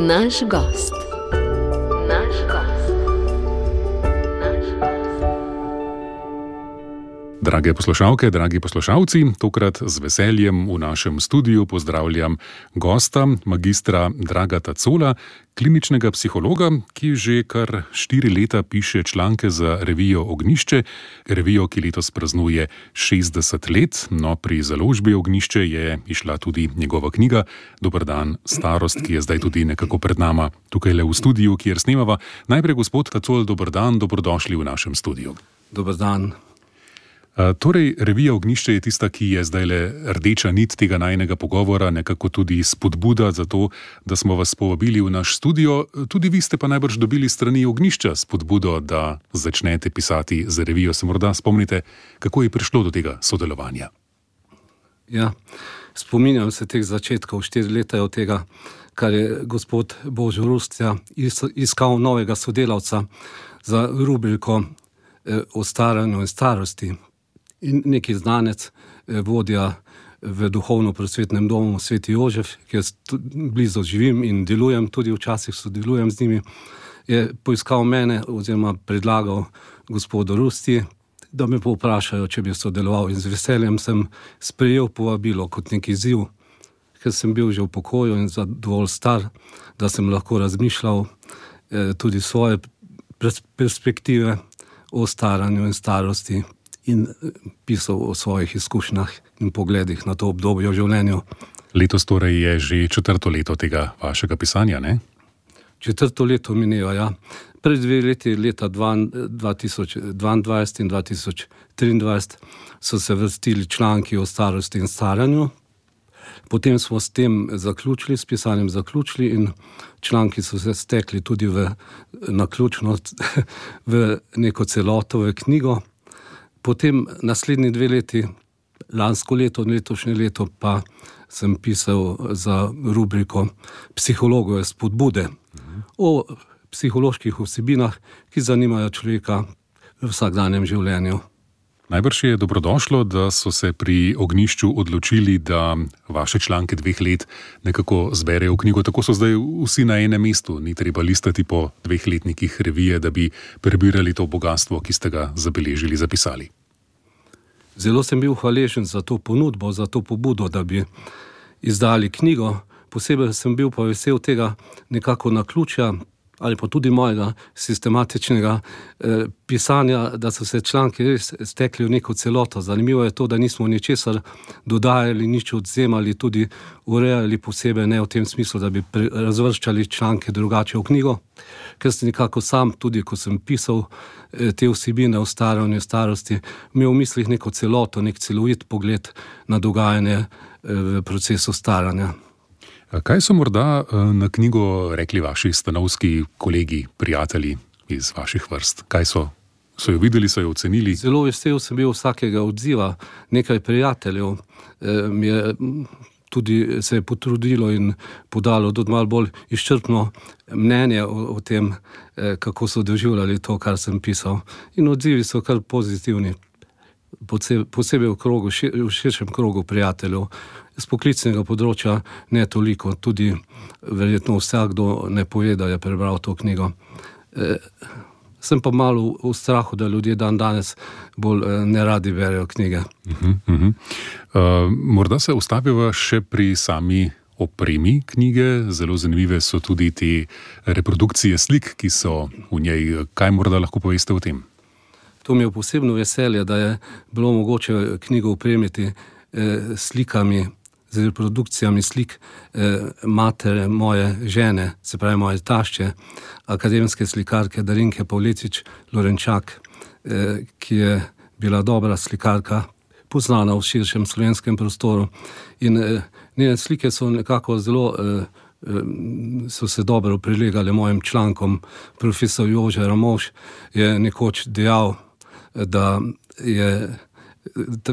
Naš gost. Drage poslušalke, dragi poslušalci, tokrat z veseljem v našem studiu pozdravljam gosta, magistra Dragata Cola, kliničnega psihologa, ki že kar 4 leta piše članke za revijo Ognjišče, revijo, ki letos praznuje 60 let. No, pri založbi Ognjišče je išla tudi njegova knjiga Dober dan, starost, ki je zdaj tudi nekako pred nama tukaj le v studiu, kjer snemava. Najprej gospod Tacol, dober dan, dobrodošli v našem studiu. Dober dan. Torej, revija Ognjišče je tista, ki je zdaj le rdeča nit tega najinega pogovora, nekako tudi spodbuda za to, da smo vas povabili v naš studio. Tudi vi ste pa najbrž dobili strani Ognjišča spodbudo, da začnete pisati za revijo. Se morda spomnite, kako je prišlo do tega sodelovanja? Ja, spominjam se teh začetkov, 4 leta je od tega, kar je gospod Božo Rustja iskal novega sodelavca za rubriko o staranju in starosti. In neki znanec, vodja v duhovno-prosvetnem domu Sveti Jožef, ki jaz blizu živim in delujem, tudi včasih sodelujem z njimi, je poiskal mene oziroma predlagal gospodu Rusti, da me povprašajo, če bi sodeloval, in z veseljem sem sprejel povabilo kot neki izziv, ker sem bil že v pokoju in dovolj star, da sem lahko razmišljal tudi svoje perspektive o staranju in starosti in pisal o svojih izkušnjah in pogledih na to obdobje v življenju. Letos torej je že 4. leto tega vašega pisanja, ne? 4. leto mineva, ja. Pred 2 leti, leta 2022 in 2023, so se vrstili članki o starosti in staranju. Potem smo s tem zaključili, s pisanjem zaključili, in članki so se stekli tudi naključno v neko celoto, v knjigo. Potem naslednji 2 leti, lansko leto in letošnje leto, pa sem pisal za rubriko Psihologove spodbude o psiholoških vsebinah, ki zanimajo človeka v vsakdanjem življenju. Najbrž je dobrodošlo, da so se pri Ognjišču odločili, da vaše članke 2 let nekako zberejo v knjigo. Tako so zdaj vsi na enem mestu. Ni treba listati po 2 letnikih revije, da bi prebirali to bogatstvo, ki ste ga zabeležili, zapisali. Zelo sem bil hvaležen za to ponudbo, za to pobudo, da bi izdali knjigo. Posebej sem bil pa vesel tega nekako naključja ali pa tudi mojega sistematičnega pisanja, da so se članki res stekli v neko celoto. Zanimivo je to, da nismo ničesar dodajali, nič odvzemali, tudi urejali posebej, ne v tem smislu, da bi razvrščali članke drugače v knjigo, ker sem nekako sam, tudi ko sem pisal te vsebine o staranju in starosti, imel v mislih neko celoto, nek celovit pogled na dogajanje v procesu staranja. Kaj so morda na knjigo rekli vaši stanovski kolegi, prijatelji iz vaših vrst? Kaj so jo videli, so jo ocenili? Zelo vesel sem bil vsakega odziva. Nekaj prijateljev mi je tudi se je potrudilo in podalo tudi malo bolj izčrpno mnenje o tem, kako so doživljali to, kar sem pisal. In odzivi so kar pozitivni. Posebej v širšem krogu prijateljev. Z poklicnega področja ne toliko, tudi verjetno vsakdo ne pove, da je prebral to knjigo. Sem pa malo v strahu, da ljudje danes bolj neradi berejo knjige. Morda se ustaviva še pri sami opremi knjige. Zelo zanimive so tudi te reprodukcije slik, ki so v njej. Kaj morda lahko poveste o tem? To mi je posebno veselje, da je bilo mogoče knjigo opremiti slikami, z reprodukcijami slik matere moje žene, se pravi moje tašče, akademske slikarke Darinke Pavletič-Lorenčak, ki je bila dobra slikarka, poznana v širšem slovenskem prostoru. In njene slike so nekako zelo so se dobro prilegale mojim člankom. Profesor Jože Ramovš je nekoč dejal, da je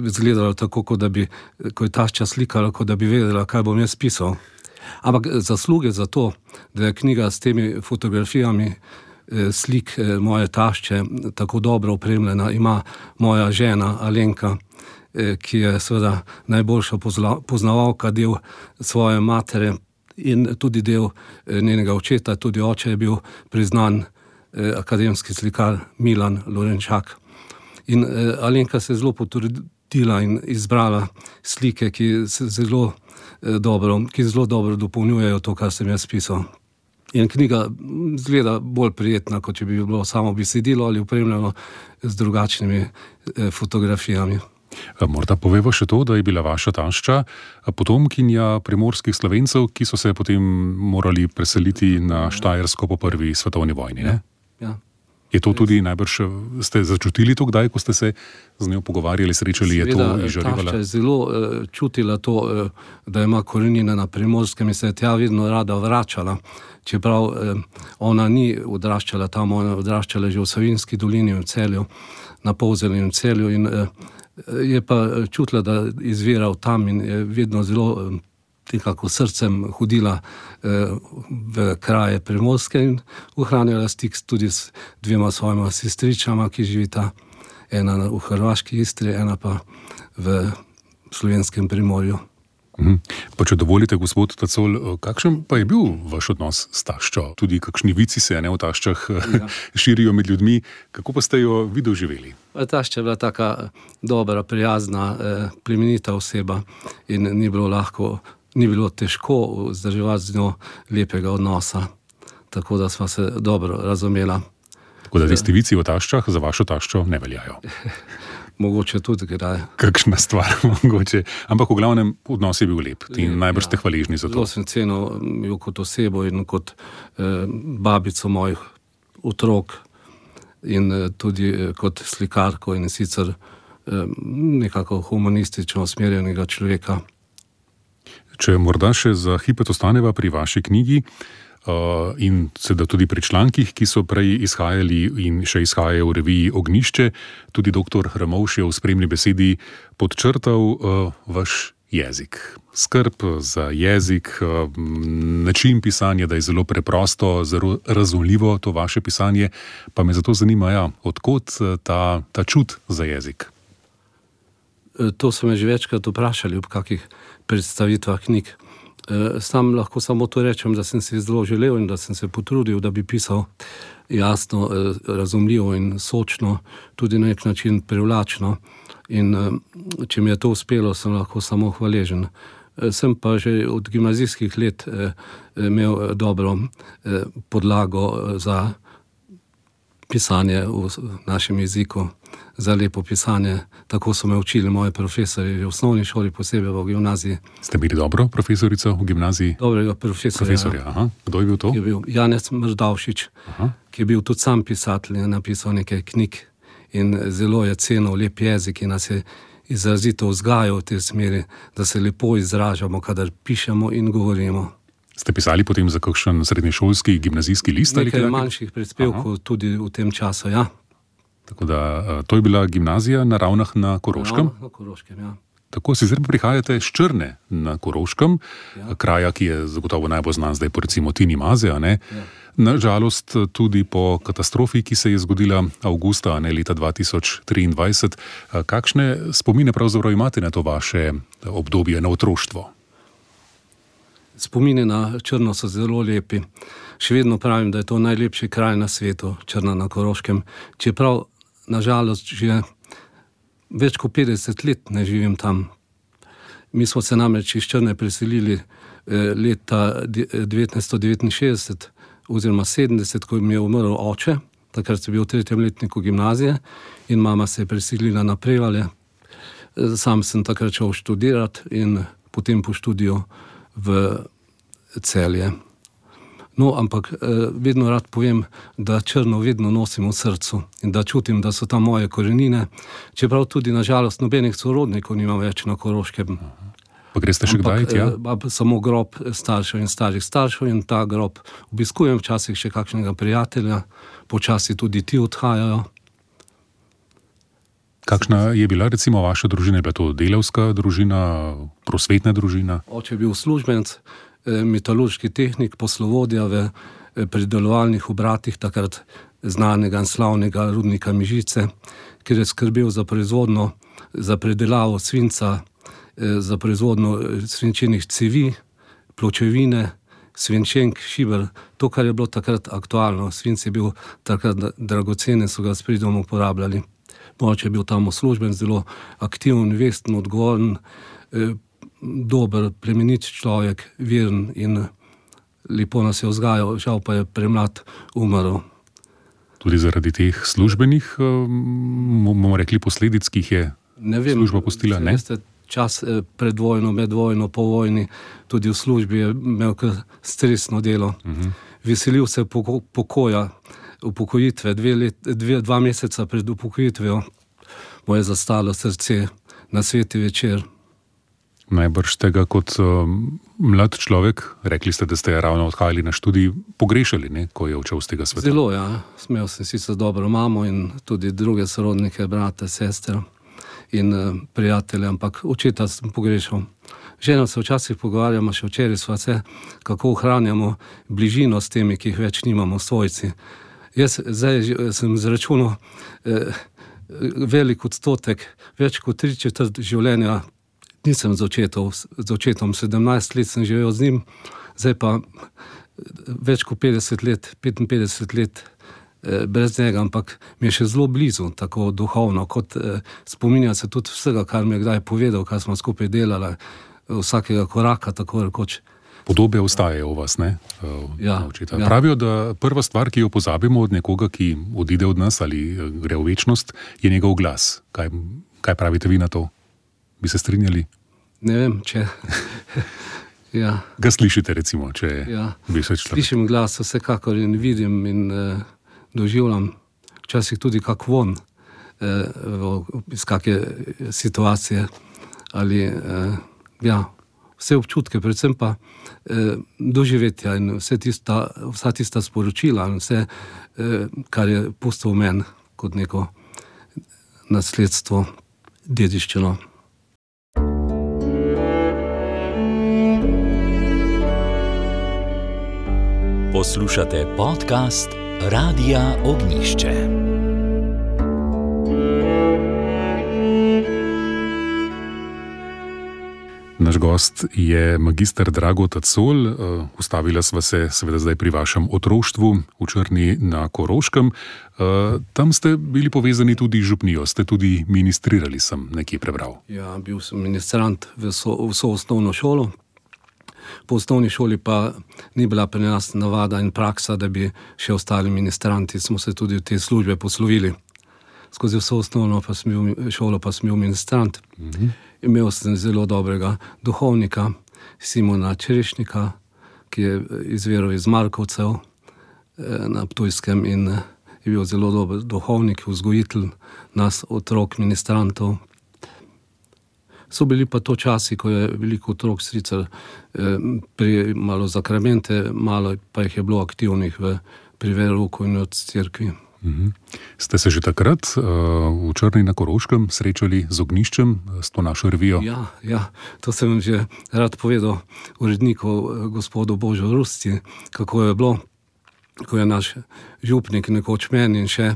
izgledalo tako, kot da bi, ko je tašča slikala, kot da bi vedela, kaj bom jaz pisal. Ampak zasluge za to, da je knjiga s temi fotografijami slik moje tašče tako dobro opremljena, ima moja žena Alenka, ki je seveda najboljša poznavalka del svoje matere in tudi del njenega očeta, tudi oče je bil priznan akademski slikar Milan Lorenčak. In Alenka se je zelo potrudila in izbrala slike, ki zelo dobro dopolnjujejo to, kar sem jaz pisal. In knjiga izgleda bolj prijetna, kot če bi bilo samo besedilo ali opremljeno z drugačnimi fotografijami. Morda poveva še to, da je bila vaša tašča potomkinja primorskih Slovencev, ki so se potem morali preseliti na Štajersko po prvi svetovni vojni, ne? Ja. Je to tudi najbrž, ste začutili to kdaj, ko ste se z njo pogovarjali, srečali, je to izžarevala? Tašča je zelo čutila to, da ima korenine na Primorskem in se je tja vedno rada vračala. Čeprav ona ni odraščala tam, ona je odraščala že v Savinjski dolini v Celju, na Polzeli in v Celju, in je pa čutila, da izvira od tam in je vedno zelo nekako srcem hodila v kraje Primorske in ohranjala stik tudi s dvema svojima sestričama, ki živita, ena v hrvaški Istri, ena pa v slovenskem Primorju. Pa če dovolite, gospod Tacol, kakšen pa je bil vaš odnos s taščo? Tudi kakšni vici se v taščah širijo med ljudmi. Kako pa ste jo vi doživeli? Tašča je bila taka dobra, prijazna, plemenita oseba in ni bilo težko vzdrževati z njo lepega odnosa. Tako da sva se dobro razumela. Tako da tisti vici o taščah za vašo taščo ne veljajo? Mogoče tudi kdaj. Kakšna stvar, mogoče. Ampak v glavnem odnos je bil lep in najbrž ste hvaležni za to. Zelo sem cenil jo kot osebo in kot babico mojih otrok in tudi kot slikarko in sicer nekako humanistično usmerjenega človeka. Če morda še za hipet ostaneva pri vaši knjigi in seveda tudi pri člankih, ki so prej izhajali in še izhajajo v reviji Ognjišče, tudi dr. Ramovš je v spremni besedi podčrtal vaš jezik. Skrb za jezik, način pisanja, da je zelo preprosto, zelo razumljivo to vaše pisanje, pa me zato zanima, od kod ta čut za jezik? To so me že večkrat vprašali ob kakih predstavitvah knjig. Sam lahko samo to rečem, da sem si zelo želel in da sem se potrudil, da bi pisal jasno, razumljivo in sočno, tudi na nek način privlačno. In če mi je to uspelo, sem lahko samo hvaležen. Sem pa že od gimnazijskih let imel dobro podlago za pisanje v našem jeziku, za lepo pisanje. Tako so me učili moji profesori v osnovni šoli, posebej v gimnaziji. Ste bili dobro profesorico v gimnaziji? Dobrega profesorja. Aha. Kdo je bil to? Je bil Janez Mrdavšič, ki je bil tudi sam pisatelj, je napisal nekaj knjig in zelo je cenil lep jezik in nas je izrazito vzgajal v tej smeri, da se lepo izražamo, kadar pišemo in govorimo. Ste pisali potem za kakšen srednješolski, gimnazijski list? Nekaj manjših prispevkov tudi v tem času, ja. Tako da to je bila gimnazija na Ravnah na Koroškem? Na Koroškem, ja. Tako, sicer pa prihajate s Črne na Koroškem, kraja, ki je zagotovo najbolj znan zdaj po recimo Tini Maze, ne? Ja. Nažalost tudi po katastrofi, ki se je zgodila avgusta, leta 2023. Kakšne spomine pravzaprav imate na to vaše obdobje, na otroštvo? Spomini na Črno so zelo lepi. Še vedno pravim, da je to najlepši kraj na svetu, Črna na Koroškem. Čeprav, nažalost, že več kot 50 let ne živim tam. Mi smo se namreč iz Črne preselili leta 1969 oziroma 70, ko mi je umrl oče. Takrat sem bil v 3. letniku gimnazije in mama se je preselila na Prevalje. Sam sem takrat šel študirati in potem po študiju v Celje. No, ampak vedno rad povem, da Črno vedno nosim v srcu in da čutim, da so tam moje korenine, čeprav tudi nažalost nobenih sorodnikov nimam več na Koroškem. Pa greste še kdaj tja? Samo grob staršev in starih staršev in ta grob obiskujem, včasih še kakšnega prijatelja, počasi tudi ti odhajajo. Kakšna je bila recimo vaša družina? Je bila to delavska družina, prosvetna družina? Oče je bil uslužbenec, metalurški tehnik, poslovodja v pridelovalnih obratih, takrat znanega in slavnega rudnika Mežice, kjer je skrbel za proizvodno, za predelavo svinca, za proizvodno svinčenih cevi, pločevine, svinčenk, šiber, to, kar je bilo takrat aktualno. Svinc je bil takrat dragocen, so ga s pridom uporabljali. Moče je bil tam uslužben, zelo aktiven, vesten, odgovoren, dober, plemenit človek, veren in lepo nas je vzgajal, žal pa je premlad umrl. Tudi zaradi teh službenih, bomo rekli, posledic, ki jih je služba pustila, ne? Veste, čas pred vojno, med vojno, po vojni, tudi v službi je imel kar stresno delo. Veselil se pokoja, upokojitve, 2 meseca pred upokojitvijo mu je zastalo srce na sveti večer. Najbrž tega kot mlad človek, rekli ste, da ste ravno odhajali na študij, pogrešali, ne, ko je odšel z tega sveta. Zelo, ja. Smel sem sicer dobro mamo in tudi druge sorodnike, brate, sestre in prijatelje, ampak očeta sem pogrešal. Ženo se včasih pogovarjamo, še včeraj sva se, kako ohranjamo bližino s temi, ki jih več nimamo, svojci. Jaz zdaj sem zračunal velik odstotek, več kot 3/4 življenja nisem z očetom, 17 let sem živel z njim, zdaj pa več kot 50 let, 55 let brez njega, ampak mi je še zelo blizu, tako duhovno, kot spominja se tudi vsega, kar mi je kdaj povedal, kar smo skupaj delali, vsakega koraka, tako rekoč. Podobe ostajajo v vas, ne? Ja. Pravijo, da prva stvar, ki jo pozabimo od nekoga, ki odide od nas ali gre v večnost, je njegov glas. Kaj pravite vi na to? Bi se strinjali? Ne vem, če... ja. Ga slišite, recimo, če bi se človek... Slišim glas vsekakor in vidim in doživljam včasih tudi kak von iz kakšne situacije ali vse občutke, predvsem pa doživetja in vsa tista sporočila in vse, kar je pustil v meni kot neko nasledstvo, dediščino. Poslušate podcast Radia Ognjišče. Naš gost je magister Drago Tacol. Ustavila sva se seveda zdaj pri vašem otroštvu v Črni na Koroškem. Tam ste bili povezani tudi z župnijo, ste tudi ministrirali, sem nekje prebral. Ja, bil sem ministrant v vso osnovno šolo. Po osnovni šoli pa ni bila pri nas navada in praksa, da bi še ostali ministranti. Smo se tudi v te službe poslovili. Skozi vso osnovno šolo pa sem bil ministrant. Imel sem zelo dobrega duhovnika, Simona Čerešnika, ki je izviral iz Markovcev na Ptujskem in je bil zelo dober duhovnik, vzgojitelj nas, otrok ministrantov. So bili pa to časi, ko je veliko otrok sicer malo zakramente, malo pa jih je bilo aktivnih pri verouku in od cerkvi. Ste se že takrat v Črni na Koroškem srečali z ognjiščem, s to našo revijo? Ja, to sem že rad povedal uredniku gospodu Božu Rusti, kako je bilo, ko je naš župnik nekoč meni in še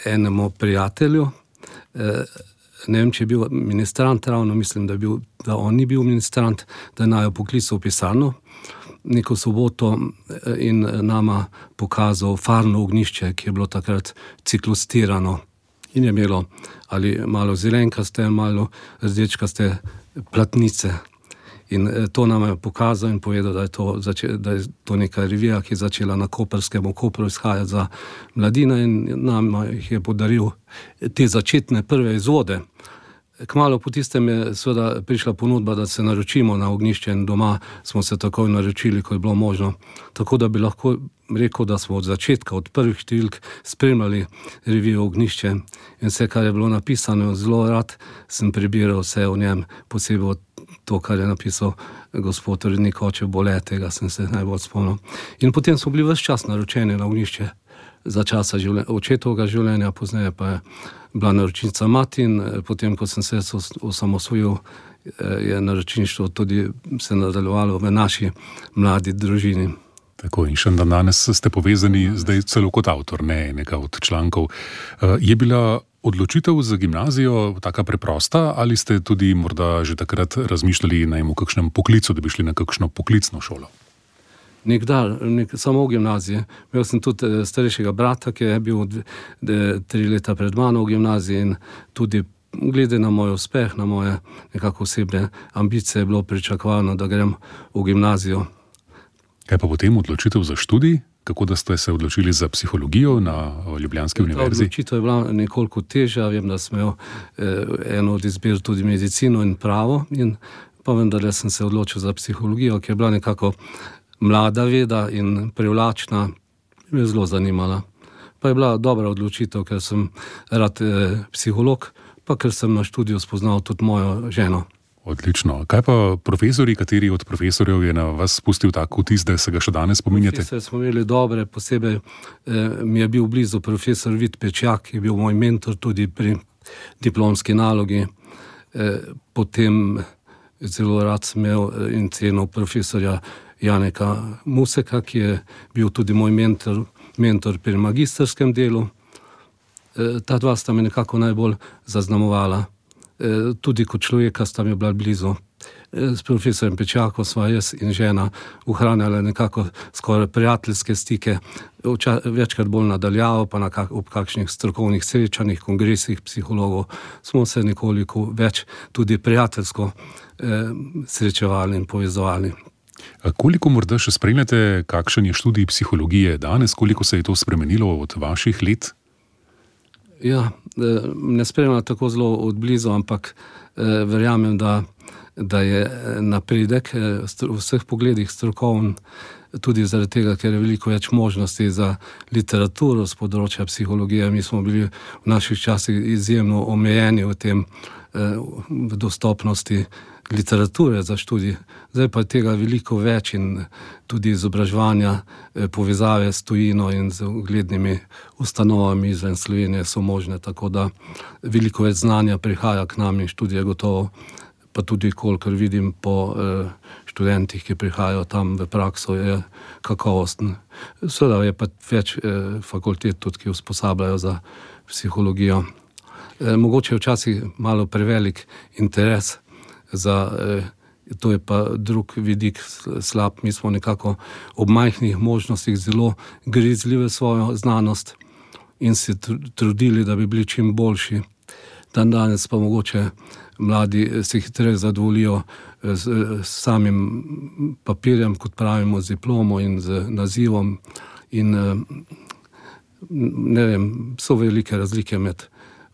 enemu prijatelju, ne vem, če je bil ministrant ravno, mislim, da on ni bil ministrant, da je naju poklical v pisarno neko soboto in nama pokazal farno ognjišče, ki je bilo takrat ciklostirano in je imelo ali malo zelenkaste, malo rdečkaste platnice. In to nam je pokazal in povedal, da je to neka revija, ki je začela na Koprskem, v Kopru izhajati za mladino in nam jih je podaril te začetne prve izvode. Kmalu po tistem je seveda prišla ponudba, da se naročimo na ognjišče in doma smo se takoj naročili, ko je bilo možno. Tako da bi lahko rekel, da smo od začetka, od prvih številk spremljali revijo Ognjišče in vse, kar je bilo napisano, zelo rad sem prebiral vse o njem, posebej to, kar je napisal gospod urednik oče Bole, tega sem se najbolj spomnil. In potem smo bili ves čas naročeni na ognjišče za časa očetovega življenja, pozneje pa je bila naročnica mati in potem, ko sem se osamosvojil, je naročništvo tudi se nadaljevalo v naši mladi družini. Tako, in še danes ste povezani zdaj celo kot avtor, ne enega od člankov. Je bila odločitev za gimnazijo taka preprosta ali ste tudi morda že takrat razmišljali o kakšnem poklicu, da bi šli na kakšno poklicno šolo? Nikdar, samo v gimnaziji. Imel sem tudi starejšega brata, ki je bil 3 leta pred mano v gimnaziji in tudi glede na moj uspeh, na moje nekako osebne ambicije je bilo pričakovano, da grem v gimnazijo. Kaj pa potem odločitev za študij? Kako da ste se odločili za psihologijo na Ljubljanski univerzi? Odločitev je bila nekoliko težja. Vem, da sem imel eno od izbir tudi medicino in pravo, in pa vendar sem se odločil za psihologijo, ki je bila nekako mlada veda in privlačna, me je zelo zanimala. Pa je bila dobra odločitev, ker sem rad psiholog, pa ker sem na študiju spoznal tudi mojo ženo. Odlično. Kaj pa profesori, kateri od profesorjev je na vas spustil tak vtis, da se ga še danes spominjate? Profesor smo imeli dobre, posebej mi je bil blizu profesor Vid Pečjak, ki je bil moj mentor tudi pri diplomski nalogi. Potem zelo rad sem imel in cenil profesorja Janeka Museka, ki je bil tudi moj mentor pri magistrskem delu. Ta dva sta me nekako najbolj zaznamovala. Tudi kot človeka sta mi bila blizu. S profesorjem Pečjakom sva jaz in žena ohranjala nekako skoraj prijateljske stike, večkrat bolj nadaljavo, pa ob kakšnih strokovnih srečanjih, kongresih psihologov smo se nekoliko več tudi prijateljsko srečevali in povezovali. Koliko morda še spremljate, kakšen je študij psihologije danes, koliko se je to spremenilo od vaših let? Ja, ne spremljam tako zelo od blizu, ampak verjamem, da je napredek v vseh pogledih strokoven, tudi zaradi tega, ker je veliko več možnosti za literaturo z področja psihologije. Mi smo bili v naših časih izjemno omejeni v tem, v dostopnosti literature za študij. Zdaj pa je tega veliko več in tudi izobraževanja, povezave s tujino in z uglednimi ustanovami izven Slovenije so možne, tako da veliko več znanja prihaja k nam in študije gotovo, pa tudi kolikor vidim po študentih, ki prihajajo tam v prakso, je kakovosten. Seveda je pa več fakultet tudi, ki usposabljajo za psihologijo. Mogoče je včasih malo prevelik interes za, to je pa drug vidik slab. Mi smo nekako ob majhnih možnostih zelo grizli v svojo znanost in se trudili, da bi bili čim boljši. Danes pa mogoče mladi se hitreje zadovoljijo s samim papirjem, kot pravimo, z diplomo in z nazivom. In ne vem, so velike razlike med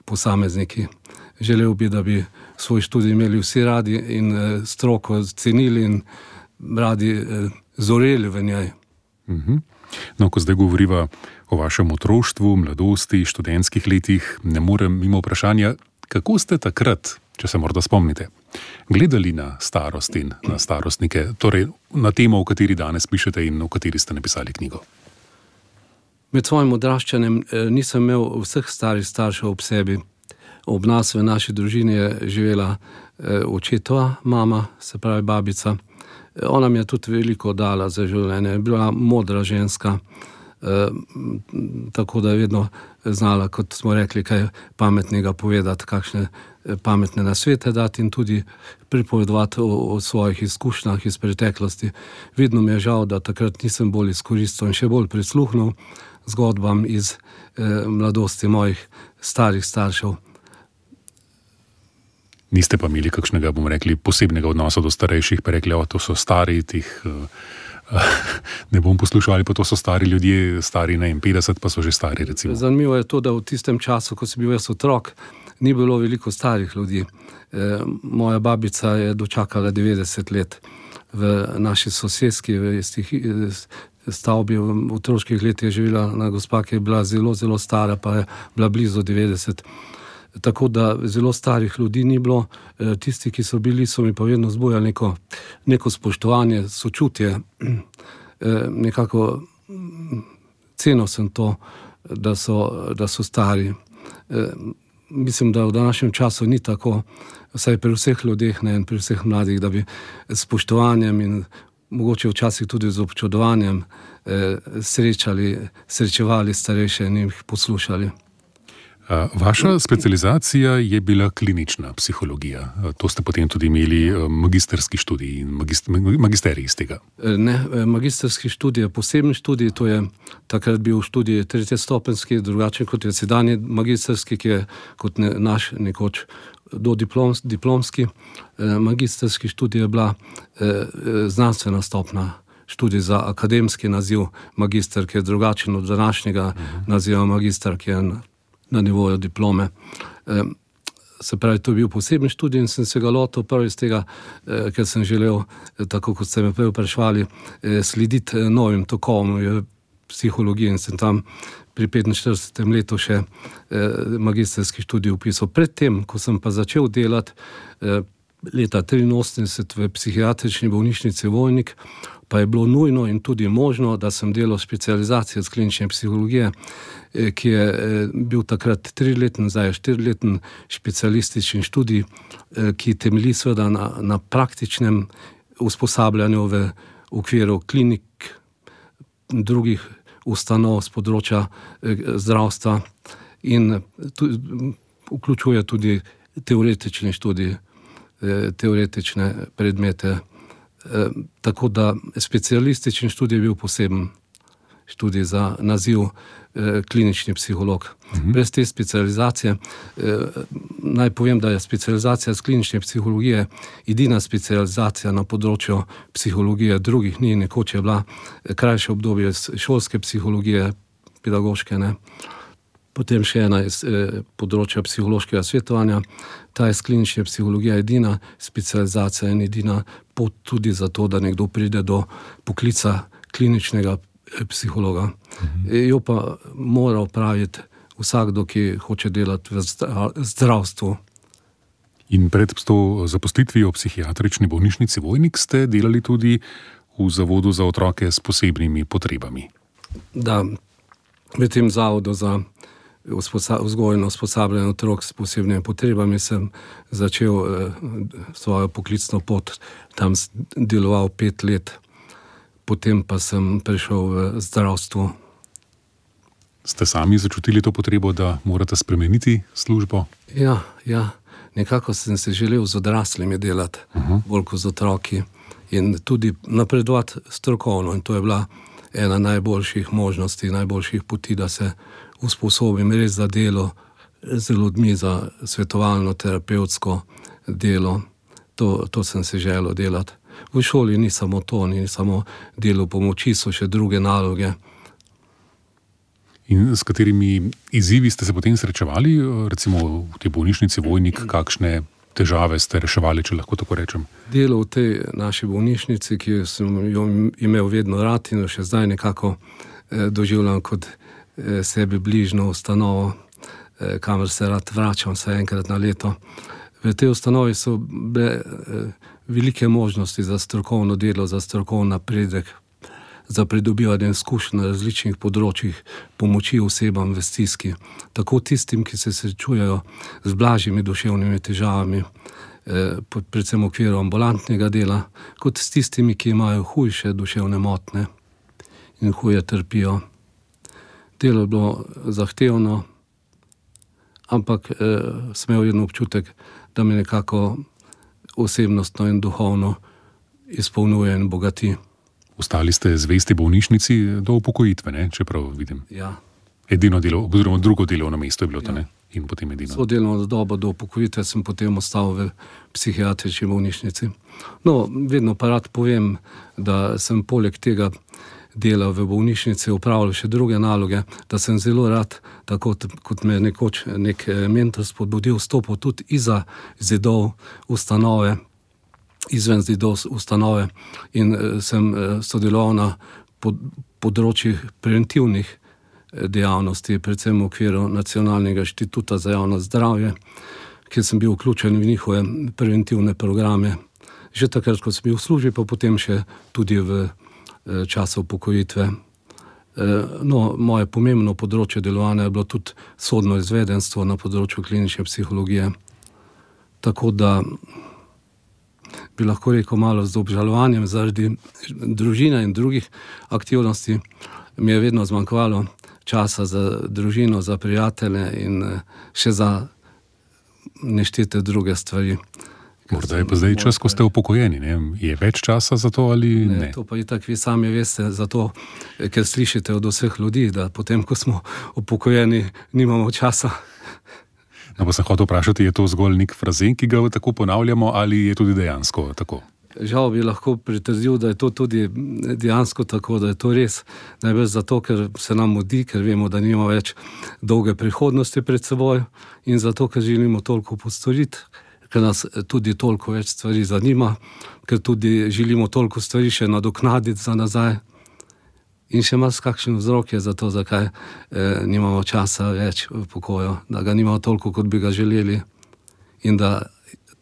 posamezniki. Želel bi, da bi svoj študij imeli vsi radi in stroko cenili in radi zoreli v njej. No, ko zdaj govoriva o vašem otroštvu, mladosti, študentskih letih, ne morem mimo vprašanja, kako ste takrat, če se morda spomnite, gledali na starost in na starostnike, torej na temo, o kateri danes pišete in o kateri ste napisali knjigo? Med svojim odraščanjem nisem imel vseh starih staršev ob sebi. Ob nas v naši družini je živela očetova mama, se pravi babica. Ona mi je tudi veliko dala za življenje. Je bila modra ženska, tako da je vedno znala, kot smo rekli, kaj pametnega povedati, kakšne pametne nasvete dati in tudi pripovedovati o svojih izkušnjah iz preteklosti. Vedno mi je žal, da takrat nisem bolj izkoristil in še bolj prisluhnil zgodbam iz mladosti mojih starih staršev. Niste pa imeli kakšnega, bomo rekli, posebnega odnosa do starejših, pa rekli, to so stari, tih ne bom poslušal, ali pa to so stari ljudje, stari 50, pa so že stari, recimo. Zanimivo je to, da v tistem času, ko sem bil jaz otrok, ni bilo veliko starih ljudi. Moja babica je dočakala 90 let v naši soseski, v stavbi, v otroških letih je živela na gospa, ki je bila zelo, zelo stara, pa je bila blizu 90. Tako da zelo starih ljudi ni bilo. Tisti, ki so bili, so mi pa vedno zbujali neko spoštovanje, sočutje. Nekako cenil sem to, da so stari. Mislim, da v današnjem času ni tako, vsaj pri vseh ljudeh, ne, in pri vseh mladih, da bi s spoštovanjem in mogoče včasih tudi z občudovanjem srečevali starejše in jih poslušali. Vaša specializacija je bila klinična psihologija. To ste potem tudi imeli magisterski študij in magisterij iz tega. Ne, magisterski študij je poseben študij, to je takrat bil študij tretjestopenjski, drugačen kot je sedanji magisterski, ki je kot naš nekoč diplomski. Magisterski študij je bila znanstvena stopnja, študij za akademski naziv magister, ki je drugačen od današnjega naziva magister, ki je na nivoju diplome. Se pravi, to je bil poseben študij in sem se ga lotil prvi iz tega, ker sem želel, tako kot ste me prej vprašali, slediti novim tokom v psihologiji in sem tam pri 45. letu še magisterski študij vpisal. Predtem, ko sem pa začel delati leta 83 v psihiatrični bolnišnici Vojnik, pa je bilo nujno in tudi možno, da sem delal specializacijo iz klinične psihologije, ki je bil takrat 3-leten, zdaj je 4-leten specialistični študij, ki temelji seveda na praktičnem usposabljanju v okviru klinik, drugih ustanov z področja zdravstva in vključuje tudi teoretični študij, teoretične predmete. Tako da specialistični študij je bil poseben študij za naziv klinični psiholog. Brez te specializacije, naj povem, da je specializacija z klinične psihologije edina specializacija na področju psihologije, drugih ni, nekoč je bila krajše obdobje šolske psihologije, pedagoške, ne. Potem še ena iz področja psihološkega svetovanja. Ta iz klinične psihologije edina specializacija in edina pot tudi za to, da nekdo pride do poklica kliničnega psihologa. Jo pa mora opraviti vsakdo, ki hoče delati v zdravstvu. In pred to zaposlitvijo v psihiatrični bolnišnici Vojnik ste delali tudi v Zavodu za otroke s posebnimi potrebami. Da, v tem zavodu za vzgojno usposabljanje otrok s posebnimi potrebami sem začel svojo poklicno pot, tam deloval 5 let, potem pa sem prišel v zdravstvo. Ste sami začutili to potrebo, da morate spremeniti službo? Ja, nekako sem se želel z odraslimi delati, bolj kot z otroki in tudi napredovati strokovno, in to je bila ena najboljših možnosti, najboljših poti, da se usposobim res za delo z ljudmi, za svetovalno, terapevtsko delo. To sem se želel delati. V šoli ni samo to, ni samo delo pomoči, so še druge naloge. In s katerimi izzivi ste se potem srečevali, recimo v tej bolnišnici Vojnik, kakšne težave ste reševali, če lahko tako rečem? Delo v tej naši bolnišnici, ki sem jo imel vedno rad in še zdaj nekako doživljam kot sebi bližno ustanovo, kamor se rad vračam vsaj enkrat na leto. V tej ustanovi so bile velike možnosti za strokovno delo, za strokovni napredek, za pridobivanje izkušenj na različnih področjih pomoči osebam v stiski, tako tistim, ki se srečujejo z blažjimi duševnimi težavami, predvsem v okviru ambulantnega dela, kot s tistimi, ki imajo hujše duševne motnje in huje trpijo. Delo je bilo zahtevno, ampak sem imel vedno občutek, da me nekako osebnostno in duhovno izpolnjuje in bogati. Ostali ste zvesti bolnišnici do upokojitve, ne? Čeprav vidim. Ja. Edino delo, oziroma drugo delovno mesto je bilo to, ne? In potem edino. So delovno dobo do upokojitve sem potem ostal v psihiatrični bolnišnici. No, vedno pa rad povem, da sem poleg tega dela v bolnišnici opravljal še druge naloge, da sem zelo rad, tako kot me nekoč nek mentor spodbudil, stopil tudi izza zidov ustanove, izven zidov ustanove in sem sodeloval na področjih preventivnih dejavnosti, predvsem v okviru Nacionalnega inštituta za javno zdravje, kjer sem bil vključen v njihove preventivne programe. Že takrat, ko sem bil v službi, pa potem še tudi v času upokojitve. No, moje pomembno področje delovanja je bilo tudi sodno izvedenstvo na področju klinične psihologije. Tako da bi lahko rekel malo z obžalovanjem zaradi družine in drugih aktivnosti, mi je vedno zmanjkovalo časa za družino, za prijatelje in še za neštete druge stvari. Morda je pa zdaj čas, ko ste upokojeni, ne? Je več časa za to ali ne? To pa itak vi sami veste, zato, ker slišite od vseh ljudi, da potem, ko smo upokojeni, nimamo časa. No, pa sem hotel vprašati, je to zgolj nek frazen, ki ga tako ponavljamo, ali je tudi dejansko tako? Žal bi lahko pritrdil, da je to tudi dejansko tako, da je to res. Najbolj zato, ker se nam mudi, ker vemo, da nimamo več dolge prihodnosti pred seboj in zato, ker želimo toliko postoriti, ker nas tudi toliko več stvari zanima, ker tudi želimo toliko stvari še nadoknaditi za nazaj. In še mas kakšen vzrok je za to, zakaj nimamo časa več v pokoju, da ga nimamo toliko, kot bi ga želeli in da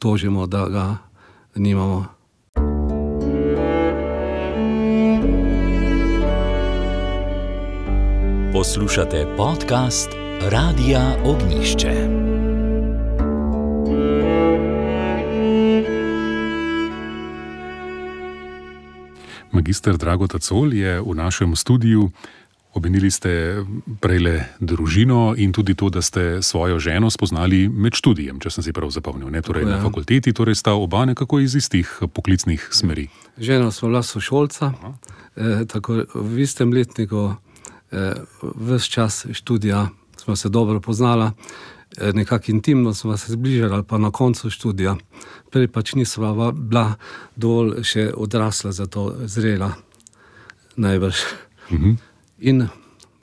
tožimo, da ga nimamo. Poslušate podcast Radia Ognišče. Magister Drago Tacol je v našem studiu. Omenili ste prejle družino in tudi to, da ste svojo ženo spoznali med študijem, če sem si prav zapomnil. Torej na fakulteti, torej sta oba nekako iz istih poklicnih smeri. Žena sva bila sošolca, tako v istem letniku, ves čas študija smo se dobro poznala, nekako intimno smo se zbližali, pa na koncu študija. Prej pač nisva bila dovolj še odrasla, zato zrela najbrž. In,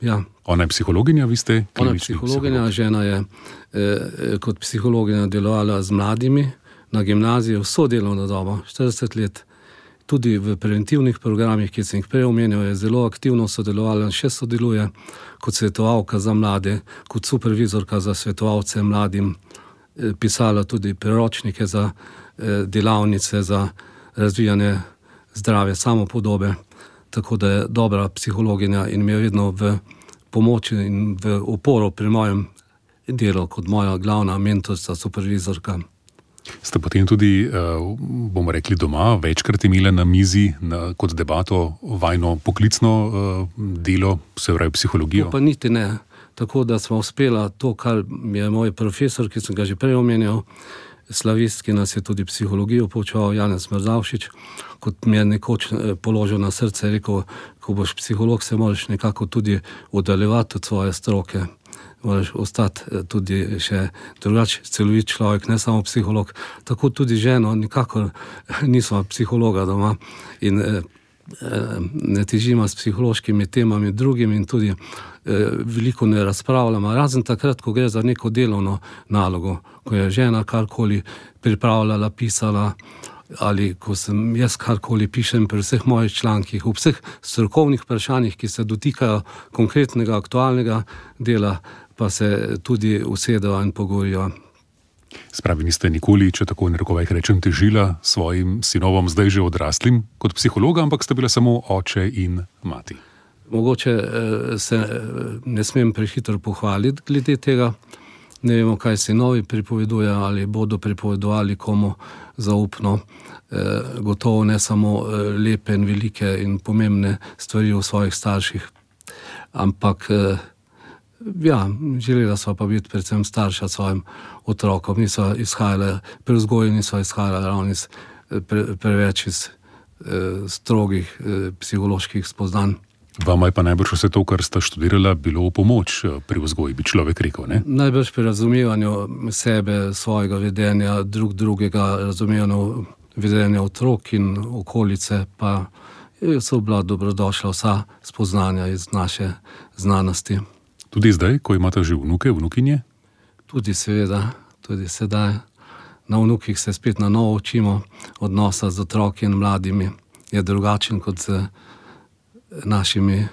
ja. Ona je psihologinja, vi ste klinični psiholog? Ona je psihologinja, žena je kot psihologinja delovala z mladimi na gimnaziji vso delovno dobo, 40 let. Tudi v preventivnih programih, ki sem jih prej omenil, je zelo aktivno sodelovala in še sodeluje kot svetovalka za mlade, kot supervizorka za svetovalce mladim, pisala tudi priročnike za delavnice, za razvijanje zdrave samopodobe, tako da je dobra psihologinja in mi je vedno v pomoči in v oporo pri mojem delu kot moja glavna mentorica, supervizorka. Ste potem tudi, bomo rekli, doma večkrat imeli na mizi kot debato vajno poklicno delo, se pravi psihologijo? To pa niti ne. Tako da smo uspela to, kar mi je moj profesor, ki sem ga že prej omenjal, slavist, ki nas je tudi psihologijo poučeval, Janez Mrzavšič, kot mi je nekoč položil na srce, rekel, ko boš psiholog, se moraš nekako tudi oddaljevati od svoje stroke. Moraš ostati tudi še drugače celovit človek, ne samo psiholog. Tako tudi ženo, nikakor nismo psihologa doma in ne težimo s psihološkimi temami drugimi in tudi veliko ne razpravljamo, razen takrat, ko gre za neko delovno nalogo, ko je žena karkoli pripravljala, pisala, ali ko sem jaz karkoli pišem pri vseh mojih člankih, v vseh strokovnih vprašanjih, ki se dotikajo konkretnega, aktualnega dela, pa se tudi usedejo in pogovorijo. Spravi, niste nikoli, če tako narekovajih rečem, težila svojim sinovom, zdaj že odraslim, kot psihologa, ampak ste bila samo oče in mati. Mogoče se ne smem prehitro pohvaliti glede tega. Ne vemo, kaj sinovi pripovedujejo ali bodo pripovedovali komu zaupno. Gotovo ne samo lepe in velike in pomembne stvari o svojih starših, ampak ja, želela sva pa biti predvsem starša svojim otrokom. Niso izhajale, pri vzgoji niso izhajale ravno preveč iz strogih psiholoških spoznanj. Vama je pa najbrž vse to, kar sta študirala, bilo v pomoč pri vzgoji, bi človek rekel, ne? Najbrž pri razumevanju sebe, svojega vedenja, drugega, razumevanju vedenja otrok in okolice, pa so bila dobrodošla vsa spoznanja iz naše znanosti. Tudi zdaj, ko imate že vnuke, vnukinje? Tudi seveda, tudi sedaj. Na vnukih se spet na novo učimo, odnosa z otroki in mladimi je drugačen kot z našimi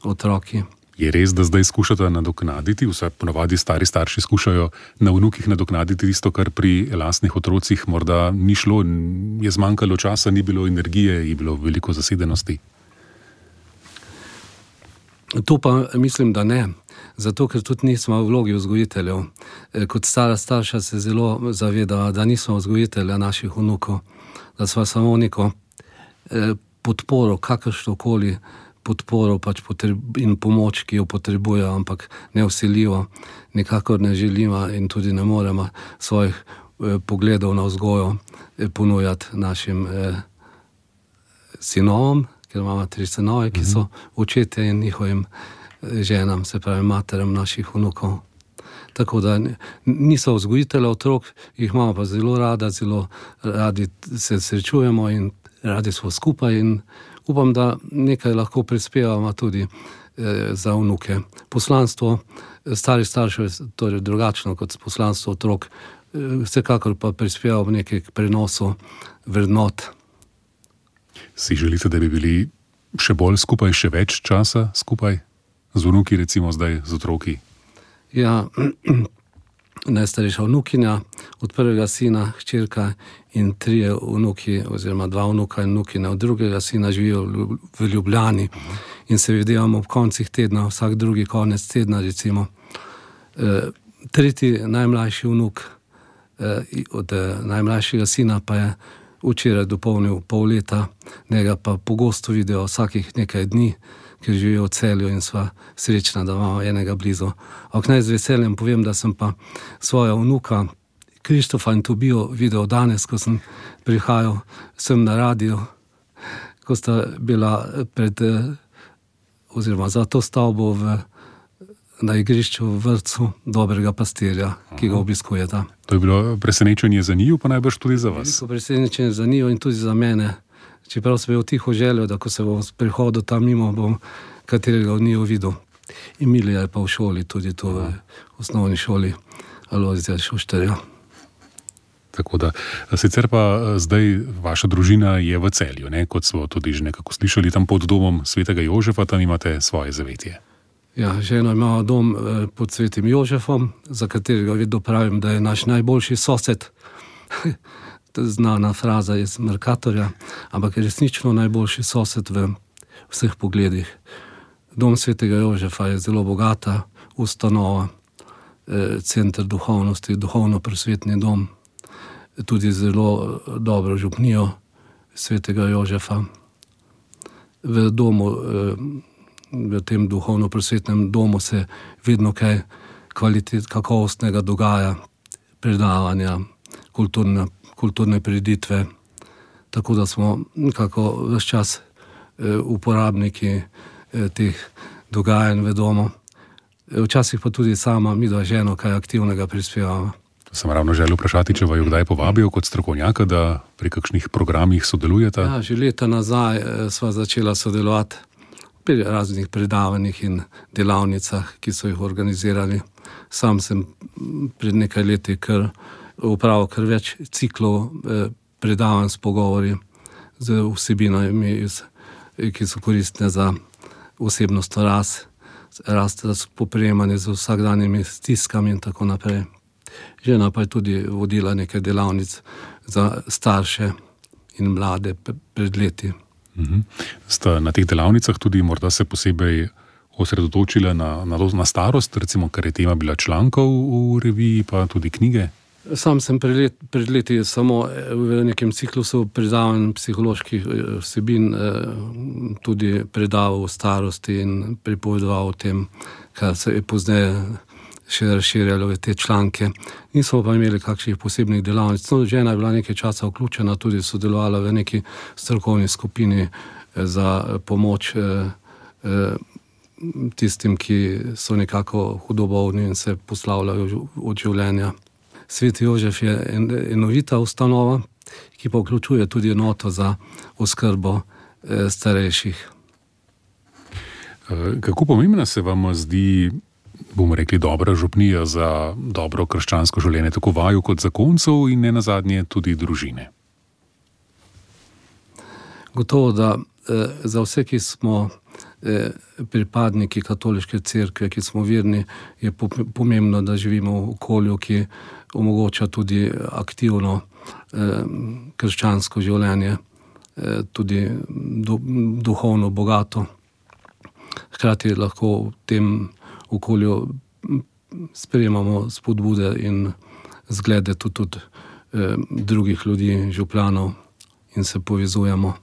otroki. Je res, da zdaj skušate nadoknaditi, vse ponavadi stari starši skušajo na vnukih nadoknaditi tisto, kar pri lastnih otrocih morda ni šlo, je zmanjkalo časa, ni bilo energije, je bilo veliko zasedenosti? To pa mislim, da ne. Zato, ker tudi nismo v vlogi vzgojiteljev. Kot stara starša se zelo zaveda, da nismo vzgojitelja naših vnukov, da smo samo neko podporo, kakršnokoli podporo in pomoč, ki jo potrebujejo, ampak nevsiljivo, nikakor ne želimo in tudi ne moremo svojih pogledov na vzgojo ponujati našim sinovom, ker imamo 3 sinove, ki so očetje in njihovim ženam, se pravi materam naših vnukov. Tako da niso vzgojitelji otrok, jih imamo pa zelo radi se srečujemo in radi smo skupaj in upam, da nekaj lahko prispevamo tudi za vnuke. Poslanstvo starih staršev je torej drugačno kot poslanstvo otrok, vsekakor pa prispeva v nekaj k prenosu vrednot. Si želite, da bi bili še bolj skupaj, še več časa skupaj z vnuki, recimo zdaj z otroki? Ja, najstarejša vnukinja, od prvega sina, hčerka in 3 vnuki, oziroma 2 vnuka in vnukine od drugega sina živijo v Ljubljani in se videvamo ob koncih tedna, vsak drugi konec tedna recimo. 3. najmlajši vnuk od najmlajšega sina pa je včeraj dopolnil pol leta, njega pa pogosto vidijo vsakih nekaj dni, ker živijo v Celju in sva srečna, da imamo enega blizu. Ampak naj z veseljem povem, da sem pa svoja vnuka Krištofa in Tobijo videl danes, ko sem prihajal sem na radio, ko sta bila oziroma za to stavbo na igrišču v vrtcu Dobrega pastirja, ki ga obiskujeta. To je bilo presenečenje za njiju, pa najbrž tudi za vas. Veliko presenečenje za njiju in tudi za mene. Čeprav sem bil tiho željo, da ko se bom prihodil tam mimo, bom katerega od njiju videl. Emilija je pa v šoli, tudi tu v osnovni šoli Alojzija Šuštarja. Tako da, sicer pa zdaj vaša družina je v Celju, ne? Kot smo tudi že nekako slišali, tam pod domom svetega Jožefa, tam imate svoje zavetje. Ja, ženo imamo dom pod svetim Jožefom, za katerega vedno pravim, da je naš najboljši sosed. Znana fraza iz Mercatorja, ampak je resnično najboljši sosed v vseh pogledih. Dom svetega Jožefa je zelo bogata ustanova, center duhovnosti, duhovno-prosvetni dom, tudi zelo dobro župnijo svetega Jožefa. V domu, v tem duhovno-prosvetnem domu se vedno kaj kakovostnega dogaja, predavanja, kulturne prireditve, tako da smo nekako ves čas uporabniki teh dogajanj v domu. Včasih pa tudi sama midva ženo kaj aktivnega prispevamo. Sem ravno želel vprašati, če vaju kdaj povabijo kot strokovnjaka, da pri kakšnih programih sodelujete? Ja, že leta nazaj sva začela sodelovati pri raznih predavanjih in delavnicah, ki so jih organizirali. Sam sem pred nekaj leti upravil kar več ciklov predavanj s pogovori z vsebinami, ki so koristne za osebnostno rast, spoprijemanje z vsakdanjimi stiskami in tako naprej. Žena pa je tudi vodila nekaj delavnic za starše in mlade pred leti. Sta na teh delavnicah tudi morda se posebej osredotočila na starost, recimo, kar je tema bila člankov v reviji, pa tudi knjige? Sam sem pred leti samo v nekem ciklusu predavanj psiholoških vsebin tudi predaval o starosti in pripovedoval o tem, kar se je pozneje še razširjalo v te članke. Nismo pa imeli kakšnih posebnih delavnic. No, žena je bila nekaj časa vključena, tudi sodelovala v neki strokovni skupini za pomoč tistim, ki so nekako hudo bolni in se poslavljajo od življenja. Sveti Jožef je enovita ustanova, ki pa vključuje tudi enoto za oskrbo starejših. Kako pomembna se vam zdi, bomo rekli, dobra župnija za dobro krščansko življenje, tako vaju kot zakoncev in nenazadnje tudi družine? Gotovo, da za vse, ki smo pripadniki katoliške cerkve, ki smo verni, je pomembno, da živimo v okolju, ki omogoča tudi aktivno krščansko življenje, tudi duhovno bogato. Hkrati lahko v tem okolju sprejemamo spodbude in zglede tudi drugih ljudi, župljanov in se povezujemo.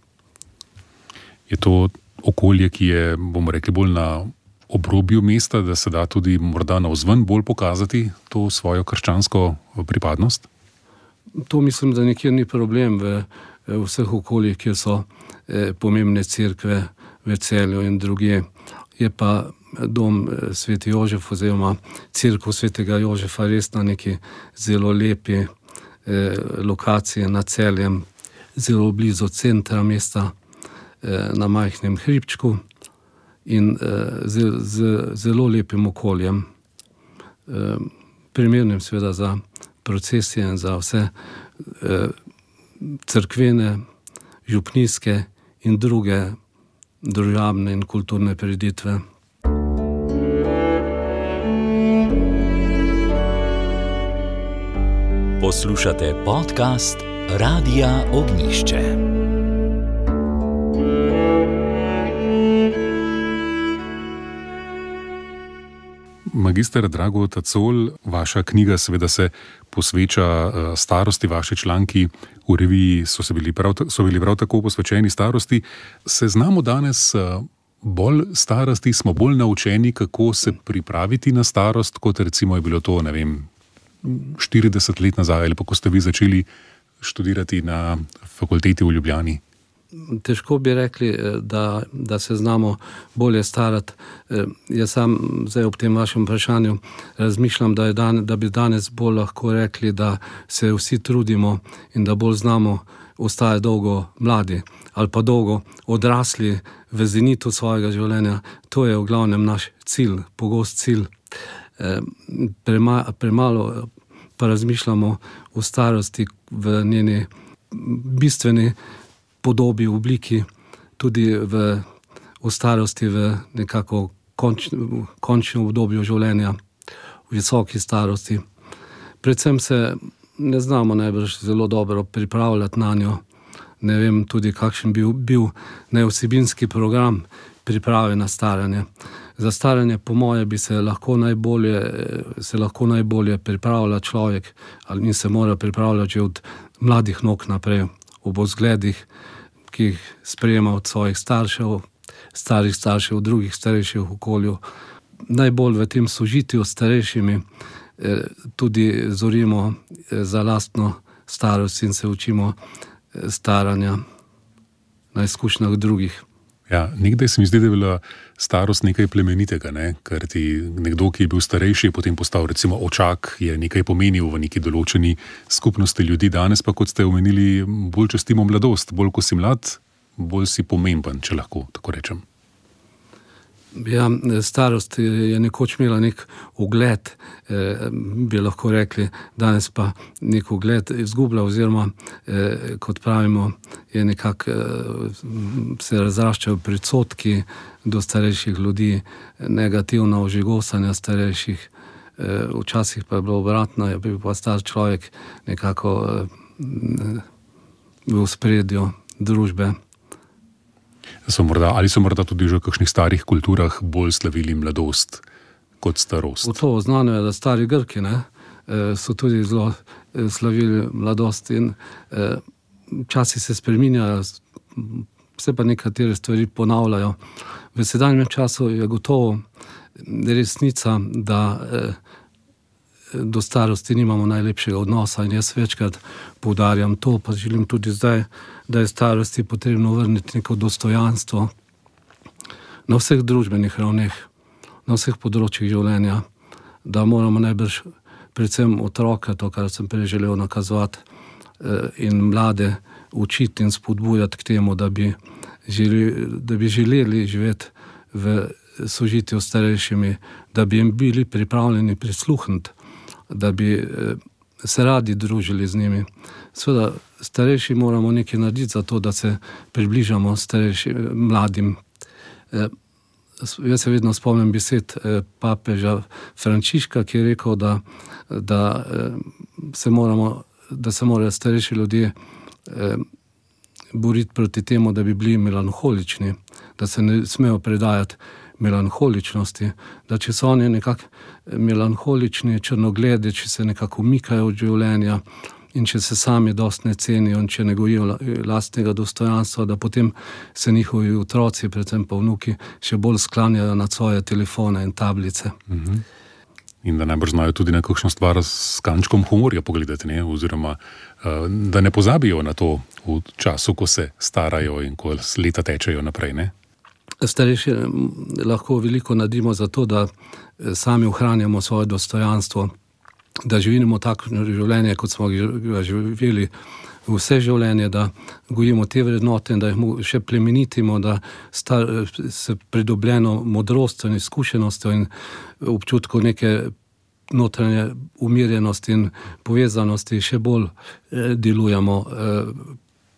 Je to okolje, ki je, bomo rekli, bolj na obrobju mesta, da se da tudi morda navzven bolj pokazati to svojo krščansko pripadnost? To mislim, da nikjer ni problem v vseh okoljih, kjer so pomembne cerkve v Celju in drugje. Je pa dom Sveti Jožef oziroma cerkev Svetega Jožefa res na neki zelo lepi lokaciji nad Celjem, zelo blizu centra mesta, na majhnem hribčku in z zelo lepim okoljem, primernim seveda za procesije in za vse cerkvene, župnijske in druge družabne in kulturne prireditve. Poslušate podcast Radia Ognjišče. Magister Drago Tacol, vaša knjiga seveda se posveča starosti, vaši članki v reviji so bili prav tako posvečeni starosti. Se znamo danes bolj starosti, smo bolj naučeni, kako se pripraviti na starost, kot recimo je bilo to, 40 let nazaj, ali pa ko ste vi začeli študirati na fakulteti v Ljubljani? Težko bi rekli, da se znamo bolje starati. Jaz sam zdaj ob tem vašem vprašanju razmišljam, da bi danes bolj lahko rekli, da se vsi trudimo in da bolj znamo ostati dolgo mladi ali pa dolgo odrasli v zenitu svojega življenja. To je v glavnem naš cilj, pogost cilj. Premalo pa razmišljamo o starosti v njeni bistveni podobi, obliki, tudi v starosti, v nekako končnem obdobju življenja, v visoki starosti. Predvsem se ne znamo najbrž zelo dobro pripravljati na njo. Ne vem tudi, kakšen bi bil nevsebinski program priprave na staranje. Za staranje, po moje, bi se lahko najbolje pripravlja človek in se mora pripravljati že od mladih nog naprej, ob vzgledih, ki jih sprejema od svojih staršev, starih staršev, drugih starejših v okolju. Najbolj v tem sožitju s starejšimi tudi zorimo za lastno starost in se učimo staranja na izkušnjah drugih. Ja, nekdaj se mi zdi, da je bila starost nekaj plemenitega, ker ti nekdo, ki je bil starejši, je potem postal recimo očak, je nekaj pomenil v neki določeni skupnosti ljudi. Danes pa, kot ste omenili, bolj častimo mladost. Bolj ko si mlad, bolj si pomemben, če lahko tako rečem. Ja, starost je nekoč imela nek ugled, bi lahko rekli, danes pa nek ugled izgublja oziroma, kot pravimo, je nekako se razraščajo predsodki do starejših ljudi, negativna ožigosanja starejših. Včasih pa je bilo obratno, je bil pa star človek nekako v ospredju družbe. Ali so morda tudi že v kakšnih starih kulturah bolj slavili mladost kot starost? To znano je, da stari Grki so tudi zelo slavili mladost in časi se spreminjajo, se pa nekatere stvari ponavljajo. V sedanjem času je gotovo resnica, da do starosti nimamo najlepšega odnosa in jaz večkrat poudarjam to, pa želim tudi zdaj, da je starosti potrebno vrniti neko dostojanstvo na vseh družbenih ravneh, na vseh področjih življenja, da moramo najbrž predvsem otroke, to, kar sem prej želel nakazovati, in mlade učiti in spodbujati k temu, da bi želeli živeti v sožitju s starejšimi, da bi jim bili pripravljeni prisluhniti, da bi se radi družili z njimi. Seveda, starejši moramo nekaj narediti za to, da se približamo mladim. Jaz se vedno spomnim besed papeža Frančiška, ki je rekel, da se morajo starejši ljudje boriti proti temu, da bi bili melanholični, da se ne smejo predajati melanholičnosti, da če so oni nekako melanholični, črnogledi, če se nekako umikajo od življenja, in če se sami dosti ne cenijo in če ne gojijo lastnega dostojanstva, da potem se njihovi otroci, predvsem pa vnuki, še bolj sklanjajo nad svoje telefone in tablice. In da najbrž znajo tudi na kakšno stvar s kančkom humorja pogledati, ne? Oziroma da ne pozabijo na to v času, ko se starajo in ko leta tečejo naprej, ne? Starejši lahko veliko naredimo za to, da sami ohranjamo svoje dostojanstvo, da živimo takšno življenje, kot smo ga živeli vse življenje, da gojimo te vrednote in da jih še plemenitimo, da se pridobljeno modrostjo in izkušenostjo in občutku neke notranje umirjenosti in povezanosti še bolj delujemo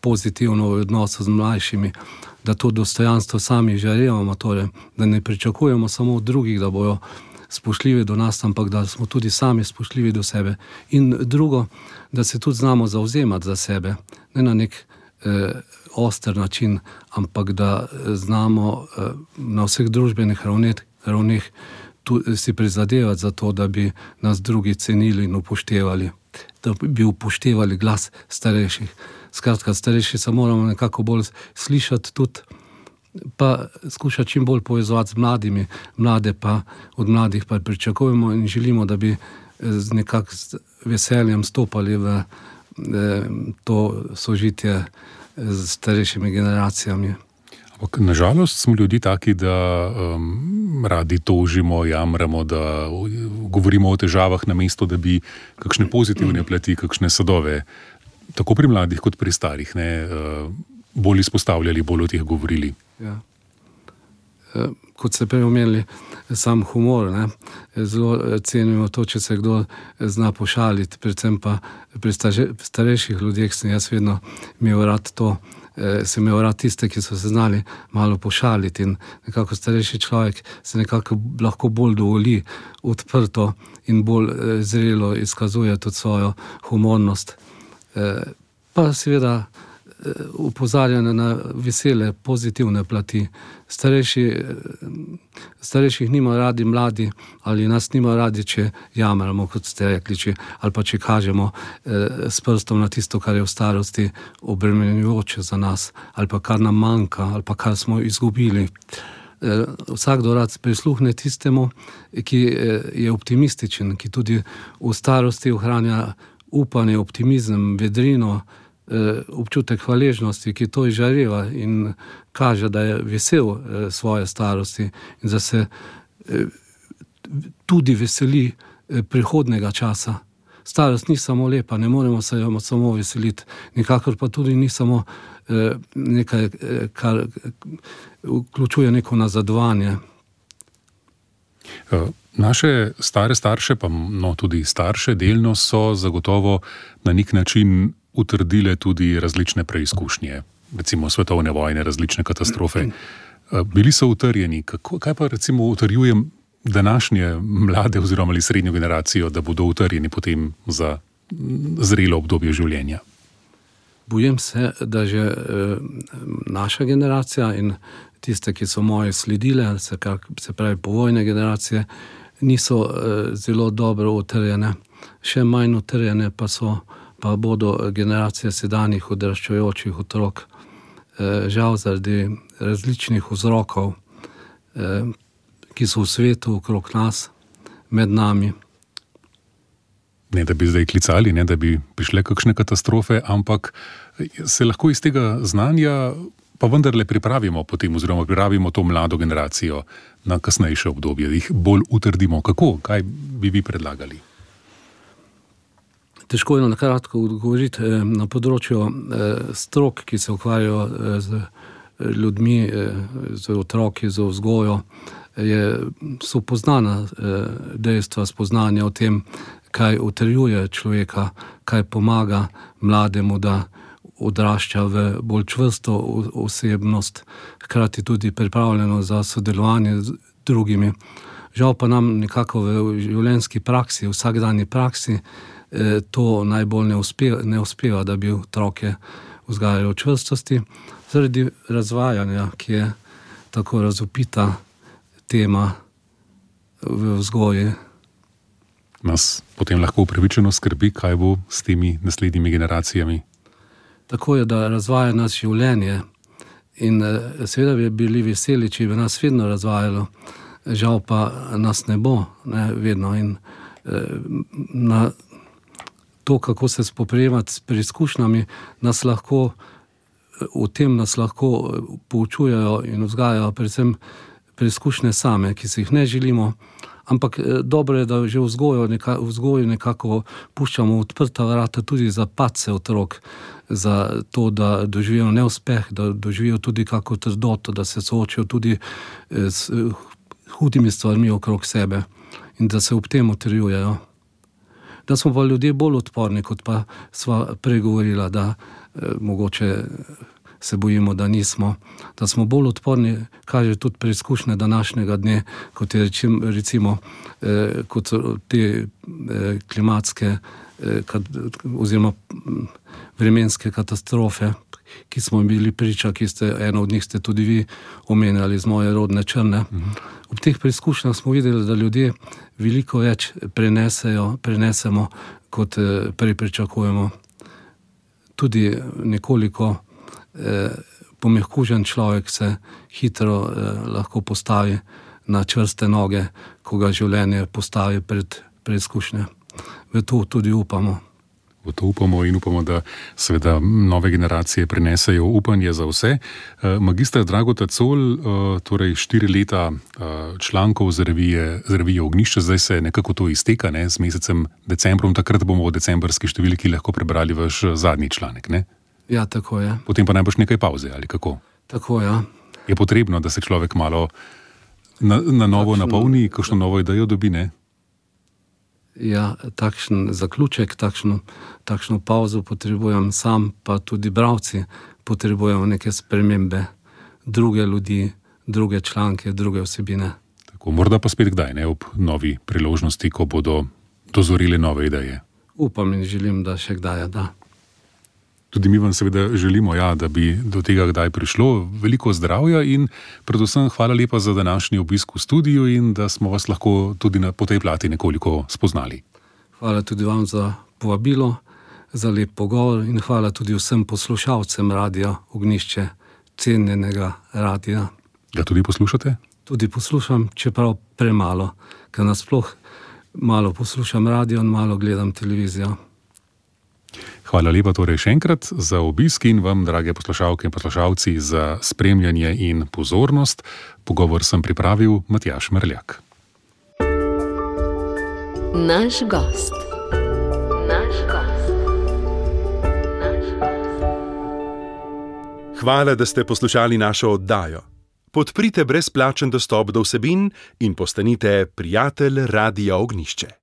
pozitivno v odnosu z mlajšimi, da to dostojanstvo sami žarevamo, torej, da ne pričakujemo samo od drugih, da bojo spoštljivi do nas, ampak da smo tudi sami spoštljivi do sebe. In drugo, da se tudi znamo zavzemati za sebe, ne na nek oster način, ampak da znamo na vseh družbenih ravneh si prizadevati za to, da bi nas drugi cenili in upoštevali, da bi upoštevali glas starejših. Skratka, starejši se moramo nekako bolj slišati tudi, pa skušati čim bolj povezovati z mladimi, mlade pa od mladih pa pričakujemo in želimo, da bi z nekako veseljem stopali v to sožitje z starejšimi generacijami. Ampak nažalost smo ljudje taki, da radi tožimo, jamramo, da govorimo o težavah namesto, da bi kakšne pozitivne plati, kakšne sadove, tako pri mladih kot pri starih, ne, bolj izpostavljali, bolj o teh govorili. Ja. Kot ste prej omenili, sam humor, ne, zelo cenimo to, če se kdo zna pošaliti, predvsem pa pri starejših ljudeh sem jaz vedno imel rad to, sem imel rad tiste, ki so se znali malo pošaliti in nekako starejši človek se nekako lahko bolj dovoli odprto in bolj zrelo izkazuje tudi svojo humornost. Pa seveda upozarjanje na vesele, pozitivne plati. Starejših nima radi mladi ali nas nima radi, če jamramo, kot ste rekli, ali pa če kažemo s prstom na tisto, kar je v starosti obremenjujoče za nas, ali pa kar nam manjka, ali pa kar smo izgubili. Vsakdo rad prisluhne tistemu, ki je optimističen, ki tudi v starosti ohranja upanje, optimizem, vedrino, občutek hvaležnosti, ki to izžareva in kaže, da je vesel svoje starosti in da se tudi veseli prihodnega časa. Starost ni samo lepa, ne moremo se jo samo veseliti, nikakor pa tudi ni samo nekaj, kar vključuje neko nazadovanje. Naše stare starše, pa tudi starše delno so zagotovo na nek način utrdile tudi različne preizkušnje, recimo svetovne vojne, različne katastrofe. Bili so utrjeni. Kaj pa recimo utrjuje današnje mlade oziroma ali srednjo generacijo, da bodo utrjeni potem za zrelo obdobje življenja? Bojim se, da že naša generacija in tiste, ki so moje sledile, se pravi povojne generacije, niso zelo dobro utrjene. Še manj utrjene pa bodo generacije sedanjih odraščajočih otrok. Žal zaradi različnih vzrokov, ki so v svetu okrog nas, med nami. Ne, da bi zdaj klicali, ne, da bi prišle kakšne katastrofe, ampak se lahko iz tega znanja pa vendarle pripravimo potem, oziroma pripravimo to mlado generacijo na kasnejše obdobje, da jih bolj utrdimo. Kako? Kaj bi vi predlagali? Težko je na kratko odgovoriti. Na področju strok, ki se ukvarjajo z ljudmi, z otroki, z vzgojo, so poznana dejstva, spoznanja o tem, kaj utrjuje človeka, kaj pomaga mlademu, da odrašča v bolj čvrsto osebnost, hkrati tudi pripravljeno za sodelovanje z drugimi. Žal pa nam nekako v življenjski praksi, vsakdanji praksi, to najbolj ne uspeva, da bi otroke vzgajali v čvrstosti, zaradi razvajanja, ki je tako razvpita tema v vzgoji. Nas potem lahko upravičeno skrbi, kaj bo s temi naslednjimi generacijami. Tako je, da razvaja nas življenje in seveda bi bili veseli, če bi nas vedno razvajalo, žal pa nas ne bo, ne, vedno. In na to, kako se spoprijemati s preizkušnjami, v tem nas lahko poučujejo in vzgajajo predvsem preizkušnje same, ki si jih ne želimo, ampak dobro je, da že v vzgoju nekako puščamo odprta vrata tudi za padce otrok, za to, da doživijo neuspeh, da doživijo tudi kako trdoto, da se soočijo tudi s hudimi stvarmi okrog sebe in da se ob tem utrjujejo. Da smo pa ljudje bolj odporni, kot pa sva pregovorila, da mogoče se bojimo, da nismo. Da smo bolj odporni, kaže tudi preizkušnje današnjega dne, kot je recimo kot so te klimatske oziroma vremenske katastrofe, ki smo bili priča, eno od njih ste tudi vi omenjali z moje rodne Črne. Ob teh preizkušnjah smo videli, da ljudje veliko več prenesemo, kot prej pričakujemo. Tudi nekoliko pomehkužen človek se hitro lahko postavi na čvrste noge, ko ga življenje postavi pred preizkušnje. V to tudi upamo. V to upamo in upamo, da seveda nove generacije prinesejo upanje za vse. Magister Drago Tacol, torej 4 leta člankov z revije Ognjišče, zdaj se nekako to izteka, ne, z mesecem decembrom, takrat bomo v decembrski številki lahko prebrali vaš zadnji članek, ne? Ja, tako je. Potem pa najbrž nekaj pauze, ali kako? Tako, ja. Je potrebno, da se človek malo na novo napolni, kakšno novo idejo dobi, ne? Ja, takšen zaključek, takšno pauzo potrebujem sam, pa tudi bralci potrebujemo neke spremembe, druge ljudi, druge članke, druge vsebine. Tako, morda pa spet kdaj, ne, ob novi priložnosti, ko bodo dozorile nove ideje. Upam in želim, da še kdaj, da. Tudi mi vam seveda želimo, ja, da bi do tega kdaj prišlo. Veliko zdravja in predvsem hvala lepa za današnji obisk v studiu in da smo vas lahko tudi po tej plati nekoliko spoznali. Hvala tudi vam za povabilo, za lep pogovor in hvala tudi vsem poslušalcem Radia Ognjišče, cenjenega radia. Ga tudi poslušate? Tudi poslušam, čeprav premalo, ker nasploh malo poslušam radio in malo gledam televizijo. Hvala lepa torej še enkrat za obisk in vam, drage poslušalke in poslušalci, za spremljanje in pozornost. Pogovor sem pripravil Matjaž Merljak. Naš gost. Hvala, da ste poslušali našo oddajo. Podprite brezplačen dostop do vsebin in postanite prijatelj Radia Ognjišče.